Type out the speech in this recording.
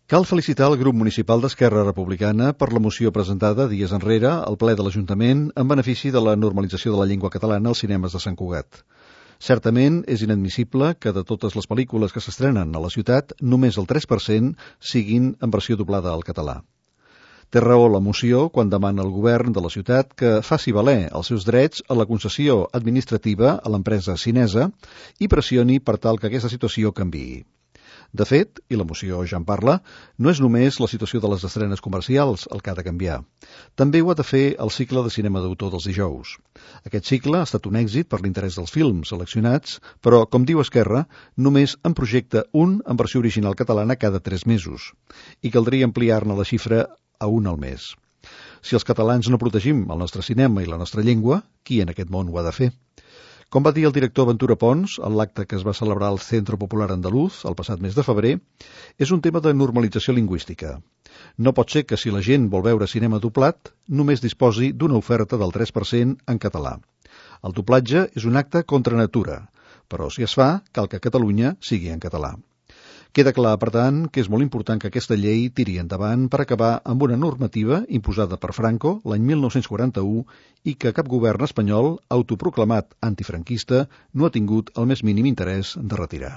Cal felicitar el grup municipal d'Esquerra Republicana per la moció presentada dies enrere al ple de l'Ajuntament en benefici de la normalització de la llengua catalana als cinemes de Sant Cugat. Certament és inadmissible que de totes les pel·lícules que s'estrenen a la ciutat només el 3% siguin en versió doblada al català. Té raó la moció quan demana al govern de la ciutat que faci valer els seus drets a la concessió administrativa a l'empresa xinesa i pressioni per tal que aquesta situació canviï. De fet, i la moció ja en parla, no és només la situació de les estrenes comercials el que ha de canviar. També ho ha de fer el cicle de cinema d'autor dels dijous. Aquest cicle ha estat un èxit per l'interès dels films seleccionats, però, com diu Esquerra, només en projecta un en versió original catalana cada 3 mesos, i caldria ampliar-ne la xifra a un al mes. Si els catalans no protegim el nostre cinema i la nostra llengua, qui en aquest món ho ha de fer? Com va dir el director Ventura Pons en l'acte que es va celebrar al Centro Popular Andaluz el passat mes de febrer, és un tema de normalització lingüística. No pot ser que si la gent vol veure cinema doblat, només disposi d'una oferta del 3% en català. El doblatge és un acte contra natura, però si es fa, cal que a Catalunya sigui en català. Queda clar, per tant, que és molt important que aquesta llei tiri endavant per acabar amb una normativa imposada per Franco l'any 1941 i que cap govern espanyol autoproclamat antifranquista no ha tingut el més mínim interès de retirar.